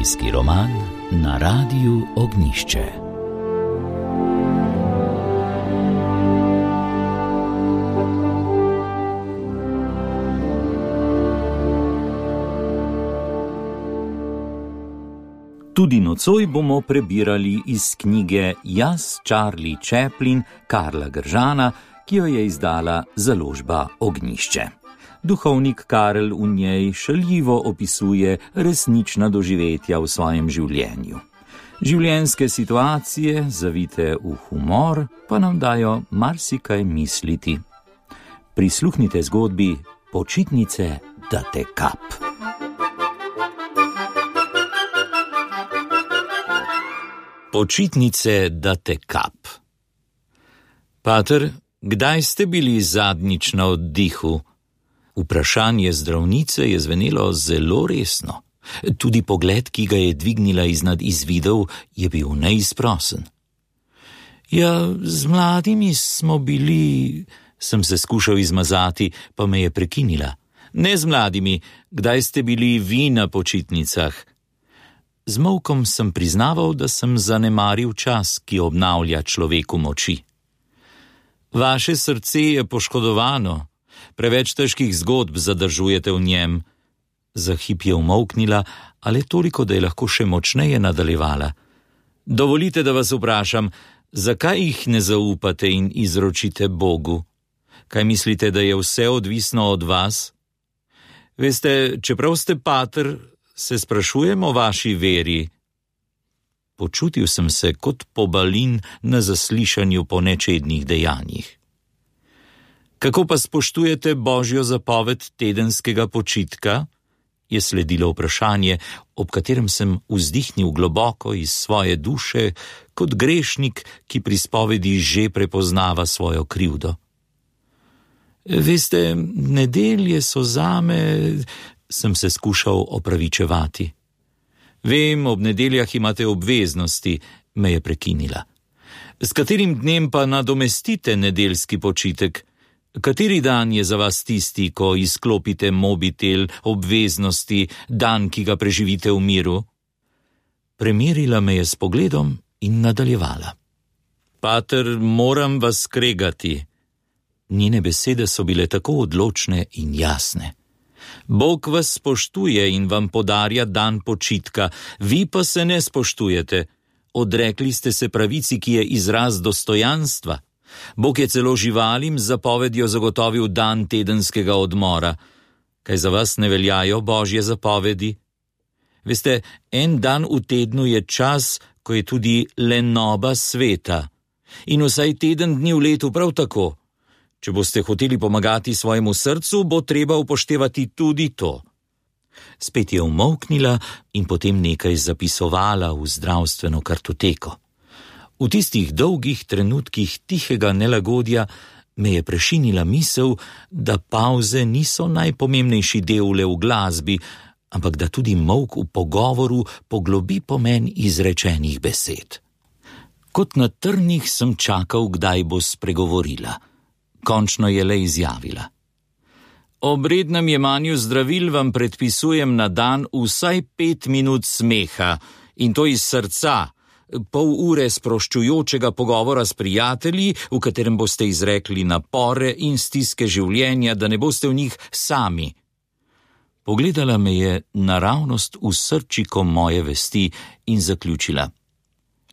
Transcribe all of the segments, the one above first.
Zgodovinski roman na Radiu Ognjišče. Tudi nocoj bomo prebirali iz knjige Jaz, Charlie Chaplin Karla Gržana, ki jo je izdala založba Ognjišče. Duhovnik Karel v njej šaljivo opisuje resnična doživetja v svojem življenju. Življenjske situacije, zavite v humor, pa nam dajo marsikaj misliti. Prisluhnite zgodbi Počitnice, da te kap. Počitnice, da te kap. Pater, kdaj ste bili zadnjič na oddihu? Vprašanje zdravnice je zvenelo zelo resno. Tudi pogled, ki ga je dvignila iznad izvidov, je bil neizprosen. Ja, z mladimi smo bili, sem se skušal izmazati, pa me je prekinila. Ne z mladimi, kdaj ste bili vi na počitnicah? Z molkom sem priznaval, da sem zanemaril čas, ki obnavlja človeku moči. Vaše srce je poškodovano. Preveč težkih zgodb zadržujete v njem. Za hip je umolknila, ali toliko, da je lahko še močneje nadaljevala. Dovolite, da vas vprašam, zakaj jih ne zaupate in izročite Bogu? Kaj mislite, da je vse odvisno od vas? Veste, čeprav ste pater, se sprašujem o vaši veri. Počutil sem se kot pobalin na zaslišanju po nečednih dejanjih. Kako pa spoštujete Božjo zapoved tedenskega počitka? Je sledilo vprašanje, ob katerem sem vzdihnil globoko iz svoje duše, kot grešnik, ki pri spovedi že prepoznava svojo krivdo. Veste, nedelje so zame, sem se skušal opravičevati. Vem, ob nedeljah imate obveznosti, me je prekinila. S katerim dnem pa nadomestite nedeljski počitek? Kateri dan je za vas tisti, ko izklopite mobitel, obveznosti, dan, ki ga preživite v miru? Premerila me je s pogledom in nadaljevala. Pater, moram vas skregati. Njene besede so bile tako odločne in jasne. Bog vas spoštuje in vam podarja dan počitka, vi pa se ne spoštujete. Odrekli ste se pravici, ki je izraz dostojanstva. Bog je celo živalim z zapovedjo zagotovil dan tedenskega odmora. Kaj za vas ne veljajo Božje zapovedi? Veste, en dan v tednu je čas, ko je tudi lenoba sveta. In vsaj teden dni v letu prav tako. Če boste hoteli pomagati svojemu srcu, bo treba upoštevati tudi to. Spet je umolknila in potem nekaj zapisovala v zdravstveno kartoteko. V tistih dolgih trenutkih tihega nelagodja me je prešinila misel, da pavze niso najpomembnejši del le v glasbi, ampak da tudi molk v pogovoru poglobi pomen izrečenih besed. Kot na trnih sem čakal, kdaj bo spregovorila. Končno je le izjavila. Ob rednem jemanju zdravil vam predpisujem na dan vsaj 5 minut smeha, in to iz srca, pol ure sproščujočega pogovora s prijatelji, v katerem boste izrekli napore in stiske življenja, da ne boste v njih sami. Pogledala me je naravnost v srčiko moje vesti in zaključila.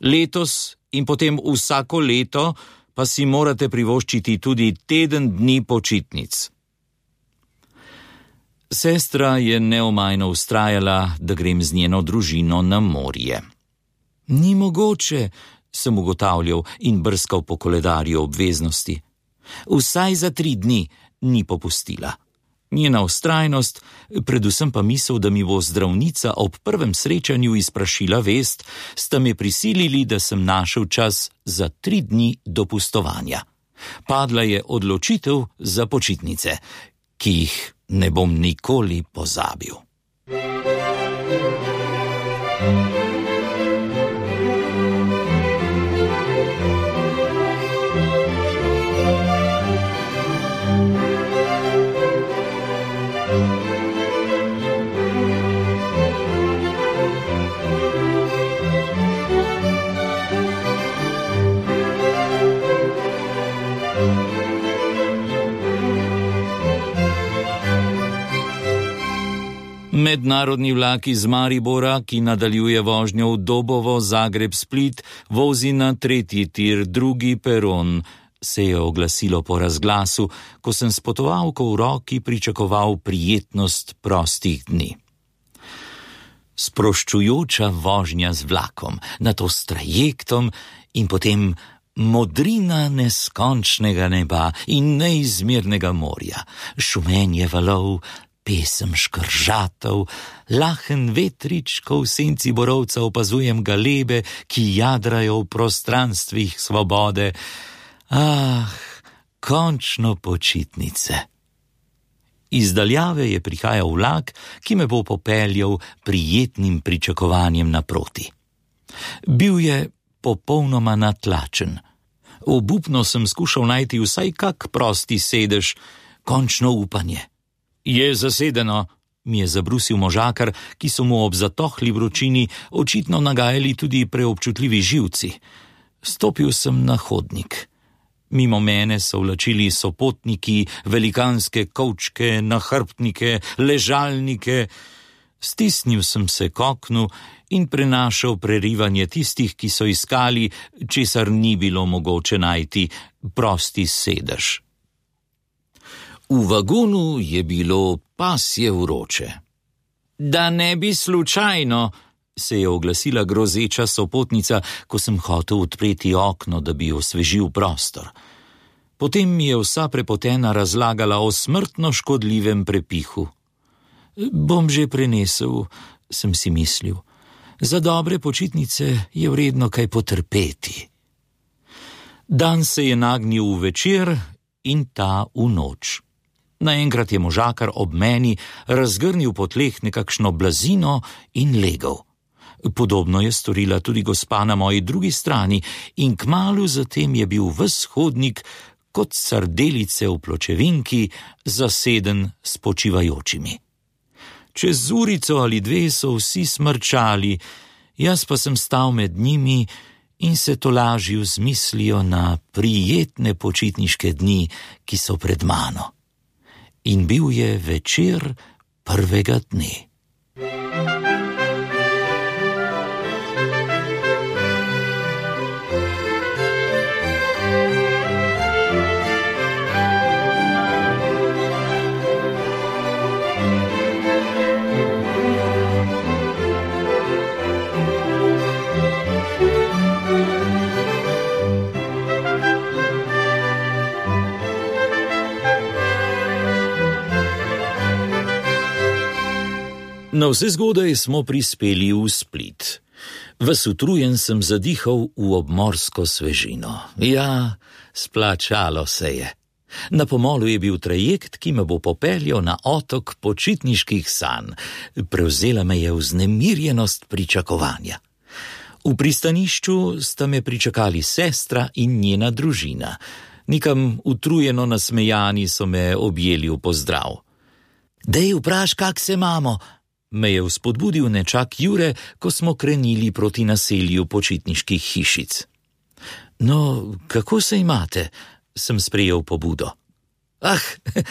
Letos in potem vsako leto pa si morate privoščiti tudi teden dni počitnic. Sestra je neomajno vztrajala, da grem z njeno družino na morje. Ni mogoče, sem ugotavljal in brskal po koledarju obveznosti. Vsaj za 3 dni ni popustila. Njena vztrajnost, predvsem pa misel, da mi bo zdravnica ob prvem srečanju izprašila vest, sta me prisilili, da sem našel čas za 3 dni dopustovanja. Padla je odločitev za počitnice, ki jih ne bom nikoli pozabil. Mednarodni vlak iz Maribora, ki nadaljuje vožnjo v Dobovo, Zagreb, Split, vozi na 3. tir, 2. peron, se je oglasilo po razglasu, ko sem s potovalko v roki pričakoval prijetnost prostih dni. Sproščujoča vožnja z vlakom, nato s trajektom in potem modrina neskončnega neba in neizmernega morja, šumenje valov, pesem škržatov, lahen vetrič, ko v senci borovca opazujem galebe, ki jadrajo v prostranstvih svobode. Končno počitnice. Iz daljave je prihajal vlak, ki me bo popeljal prijetnim pričakovanjem naproti. Bil je popolnoma natlačen. Obupno sem skušal najti vsaj kak prosti sedež, končno upanje. Je zasedeno, mi je zabrusil možakar, ki so mu ob zatohli vročini očitno nagajali tudi preobčutljivi živci. Stopil sem na hodnik. Mimo mene so vlačili sopotniki, velikanske kovčke, nahrbtnike, ležalnike. Stisnil sem se k oknu in prenašal prerivanje tistih, ki so iskali, česar ni bilo mogoče najti, prosti sedež. V vagonu je bilo pasje vroče. Da ne bi slučajno, se je oglasila grozeča sopotnica, ko sem hotel odpreti okno, da bi osvežil prostor. Potem mi je vsa prepotena razlagala o smrtno škodljivem prepihu. Bom že prenesel, sem si mislil. Za dobre počitnice je vredno kaj potrpeti. Dan se je nagnil v večer in ta v noč. Naenkrat je možakar ob meni razgrnil po tleh nekakšno blazino in legel. Podobno je storila tudi gospa na moji drugi strani in kmalu zatem je bil ves hodnik kot sardelice v pločevinki zaseden s počivajočimi. Čez urico ali dve so vsi smrčali, jaz pa sem stal med njimi in se tolažil z mislijo na prijetne počitniške dni, ki so pred mano. In bil je večer prvega dne. Navsezgodaj smo prispeli v Split. Ves utrujen sem zadihal v obmorsko svežino. Ja, splačalo se je. Na pomolu je bil trajekt, ki me bo popeljal na otok počitniških sanj. Prevzela me je vznemirjenost pričakovanja. V pristanišču sta me pričakali sestra in njena družina. Nikam utrujeno nasmejani so me objeli v pozdrav. Dej vpraš, kak se imamo, me je vzpodbudil nečak Jure, ko smo krenili proti naselju počitniških hišic. No, kako se imate? Sem sprejel pobudo.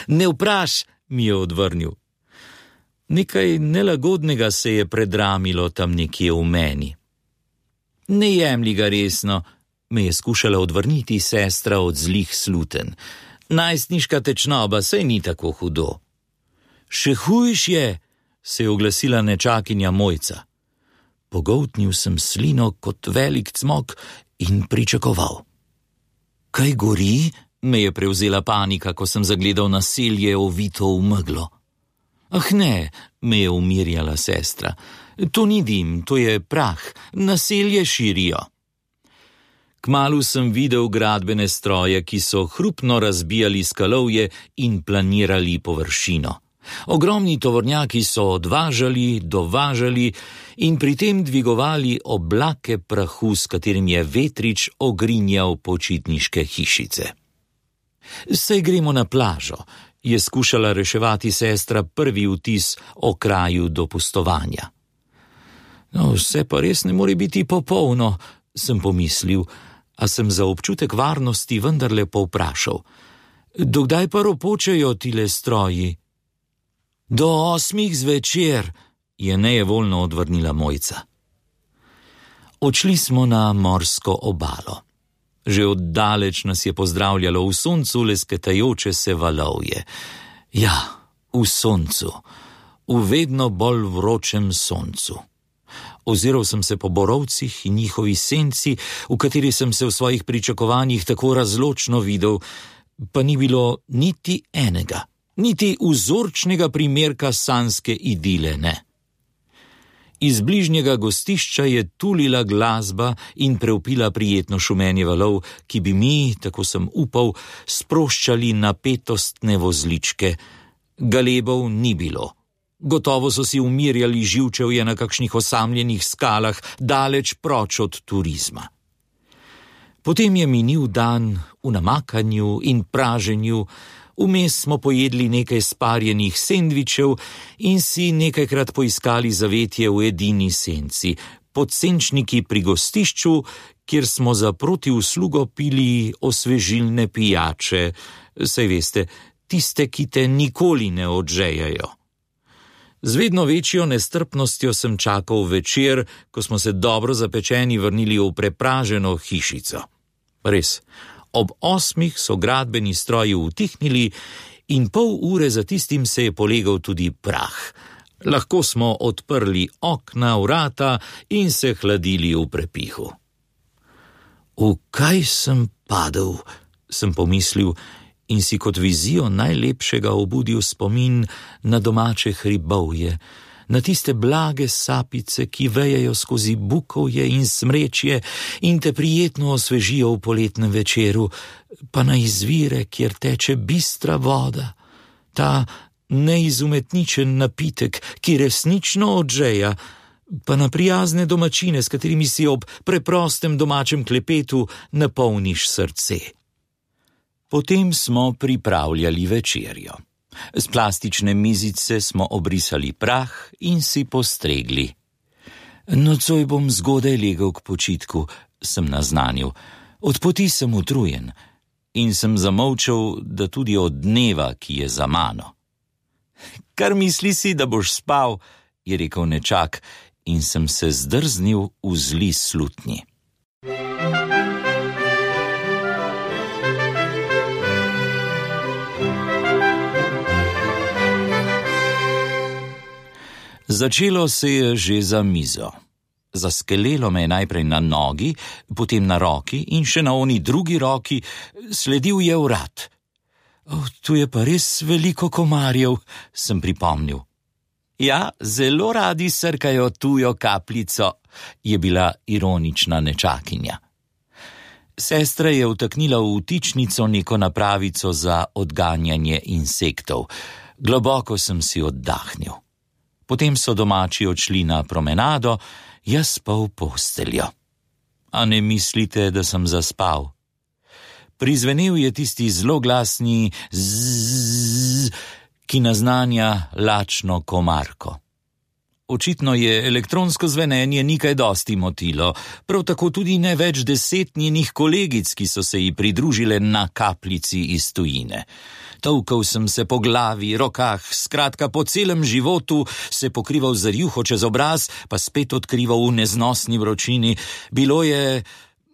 Ne vpraš, mi je odvrnil. Nekaj nelagodnega se je predramilo tam nekje v meni. Ne jemlji ga resno, me je skušala odvrniti sestra od zlih sluten. Najstniška tečnoba, saj ni tako hudo. Še hujš je, se je oglasila nečakinja Mojca. Pogoltnil sem slino kot velik cmok in pričakoval. Kaj gori? Me je prevzela panika, ko sem zagledal naselje ovito v meglo. Ne, me je umirjala sestra. To ni dim, to je prah, naselje širijo. Kmalu sem videl gradbene stroje, ki so hrupno razbijali skalovje in planirali površino. Ogromni tovornjaki so odvažali, dovažali in pri tem dvigovali oblake prahu, s katerim je vetrič ogrinjal počitniške hišice. Saj gremo na plažo, je skušala reševati sestra prvi vtis o kraju dopustovanja. No, vse pa res ne more biti popolno, sem pomislil, a sem za občutek varnosti vendarle povprašal. Dokdaj pa ropočejo tile stroji? Do 8 zvečer, je nejevoljno odvrnila Mojca. Odšli smo na morsko obalo. Že oddaleč nas je pozdravljalo v soncu lesketajoče se valovje. Ja, v soncu, v vedno bolj vročem soncu. Oziral sem se po borovcih in njihovi senci, v kateri sem se v svojih pričakovanjih tako razločno videl, pa ni bilo niti enega, niti vzorčnega primerka sanjske idile, ne. Iz bližnjega gostišča je tulila glasba in prevpila prijetno šumenje valov, ki bi mi, tako sem upal, sproščali napetostne vozličke. Galebov ni bilo. Gotovo so si umirjali živčevje na kakšnih osamljenih skalah, daleč proč od turizma. Potem je minil dan v namakanju in praženju, vmes smo pojedli nekaj sparjenih sendvičev in si nekajkrat poiskali zavetje v edini senci, pod senčniki pri gostišču, kjer smo za protiuslugo pili osvežilne pijače, saj veste, tiste, ki te nikoli ne odžejajo. Z vedno večjo nestrpnostjo sem čakal večer, ko smo se dobro zapečeni vrnili v prepraženo hišico. Res, ob 8 so gradbeni stroji utihnili in pol ure za tistim se je polegal tudi prah. Lahko smo odprli okna, vrata in se hladili v prepihu. V kaj sem padel, sem pomislil, in si kot vizijo najlepšega obudil spomin na domače hribovje, na tiste blage sapice, ki vejejo skozi bukovje in smrečje in te prijetno osvežijo v poletnem večeru, pa na izvire, kjer teče bistra voda, ta neizumetničen napitek, ki resnično odžeja, pa na prijazne domačine, s katerimi si ob preprostem domačem klepetu napolniš srce. Potem smo pripravljali večerjo. Z plastične mizice smo obrisali prah in si postregli. Nocoj bom zgodaj legel k počitku, sem naznanil. Od poti sem utrujen in sem zamolčal, da tudi od dneva, ki je za mano. Kar misli si, da boš spal, je rekel nečak in sem se zdrznil v zli slutnji. Začelo se je že za mizo. Zaskelelo me je najprej na nogi, potem na roki in še na oni drugi roki, sledil je vrat. Tu je pa res veliko komarjev, sem pripomnil. Ja, zelo radi srkajo tujo kapljico, je bila ironična nečakinja. Sestra je vtaknila v vtičnico neko napravico za odganjanje insektov. Globoko sem si oddahnil. Potem so domači odšli na promenado, jaz pa v posteljo. A ne mislite, da sem zaspal? Prizvenel je tisti zloglasni zzz, ki naznanja lačno komarko. Očitno je elektronsko zvenenje ni kaj dosti motilo, prav tako tudi ne več 10 njenih kolegic, ki so se ji pridružile na kapljici iz tujine. Tolkal sem se po glavi, rokah, skratka po celem životu, se pokrival z rjuho čez obraz, pa spet odkrival v neznosni vročini. Bilo je,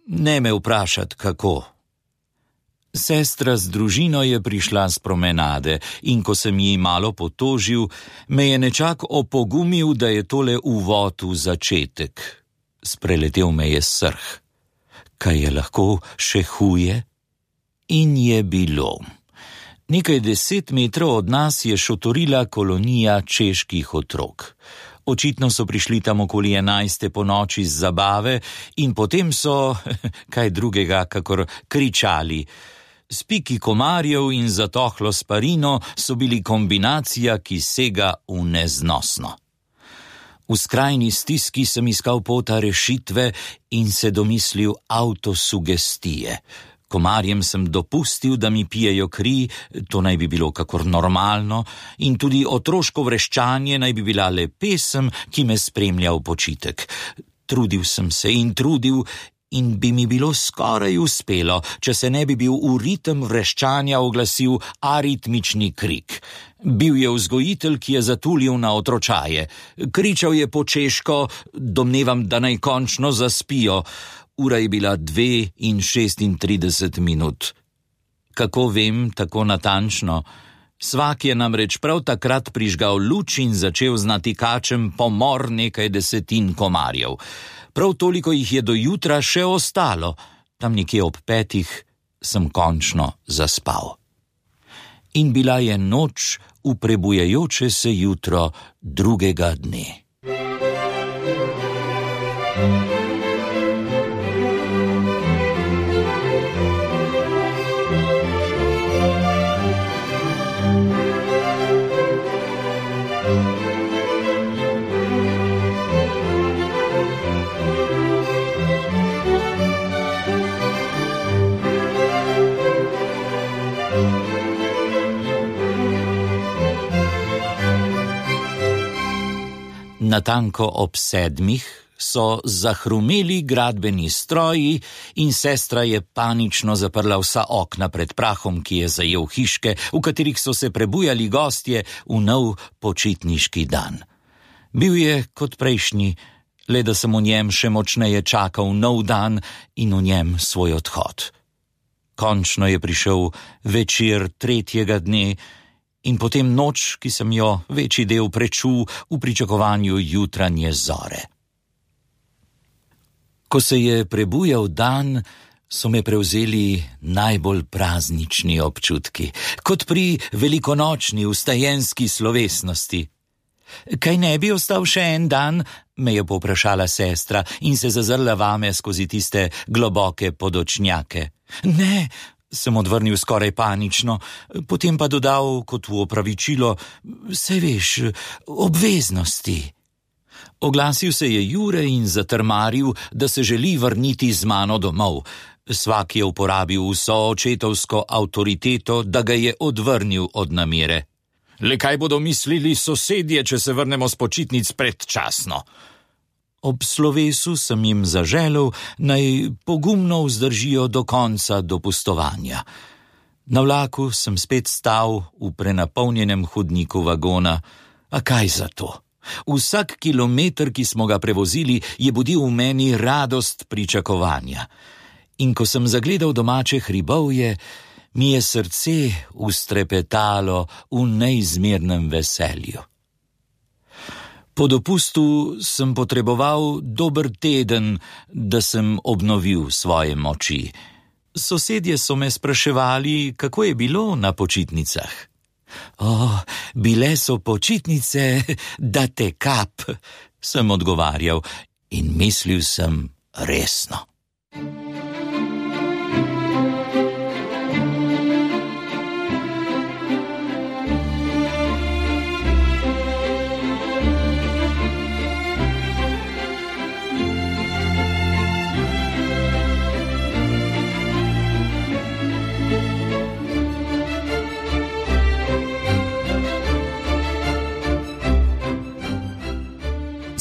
ne me vprašati, kako. Sestra z družino je prišla z promenade in ko sem ji malo potožil, me je nečak opogumil, da je tole uvod v začetek. Spreletel me je srh. Kaj je lahko še huje? In je bilo. Nekaj 10 metrov od nas je šotorila kolonija čeških otrok. Očitno so prišli tam okoli 11. po noči z zabave in potem so, kaj drugega, kakor kričali. Spiki komarjev in zatohlo sparino so bili kombinacija, ki sega v neznosno. V skrajni stiski sem iskal pota rešitve in se domislil avtosugestije. Komarjem sem dopustil, da mi pijejo kri, to naj bi bilo kakor normalno, in tudi otroško vreščanje naj bi bila le pesem, ki me spremlja v počitek. Trudil sem se in trudil in bi mi bilo skoraj uspelo, če se ne bi bil v ritem vreščanja oglasil aritmični krik. Bil je vzgojitelj, ki je zatulil na otročaje. Kričal je po češko, domnevam, da naj končno zaspijo. Ura je bila 2:36. Kako vem tako natančno? Svak je namreč prav takrat prižgal luč in začel z natikačem pomor nekaj desetin komarjev. Prav toliko jih je do jutra še ostalo. Tam nekje ob 5 sem končno zaspal. In bila je noč v prebujajoče se jutro drugega dne. Natanko ob 7 so zahrumeli gradbeni stroji in sestra je panično zaprla vsa okna pred prahom, ki je zajel hiške, v katerih so se prebujali gostje v nov počitniški dan. Bil je kot prejšnji, le da sem v njem še močneje čakal nov dan in v njem svoj odhod. Končno je prišel večer 3. dne, in potem noč, ki sem jo večji del prečul v pričakovanju jutranje zore. Ko se je prebujal dan, so me prevzeli najbolj praznični občutki, kot pri velikonočni vstajenski slovesnosti. Kaj ne bi ostal še en dan, me je povprašala sestra in se zazrla vame skozi tiste globoke podočnjake. Ne, sem odvrnil skoraj panično, potem pa dodal kot v opravičilo, saj veš, obveznosti. Oglasil se je Jure in zatrmaril, da se želi vrniti z mano domov. Svak je uporabil vso očetovsko avtoriteto, da ga je odvrnil od namere. Le kaj bodo mislili sosedje, če se vrnemo s počitnic predčasno? Ob slovesu sem jim zaželel, naj pogumno vzdržijo do konca dopustovanja. Na vlaku sem spet stal v prenapolnjenem hodniku vagona. A kaj za to? Vsak kilometer, ki smo ga prevozili, je budil v meni radost pričakovanja. In ko sem zagledal domače hribovje, mi je srce ustrepetalo v neizmernem veselju. Po dopustu sem potreboval dober teden, da sem obnovil svoje moči. Sosedje so me spraševali, kako je bilo na počitnicah. Bile so počitnice, da te kap, sem odgovarjal in mislil sem resno.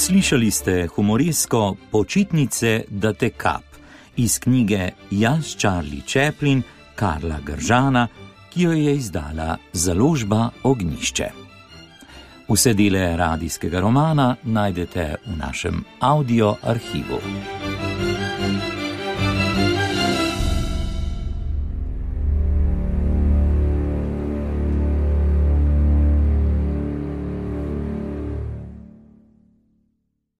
Slišali ste humorijsko Počitnice, da te kap iz knjige Jaz, Charlie Chaplin Karla Gržana, ki jo je izdala založba Ognjišče. Vse dele radijskega romana najdete v našem audio arhivu.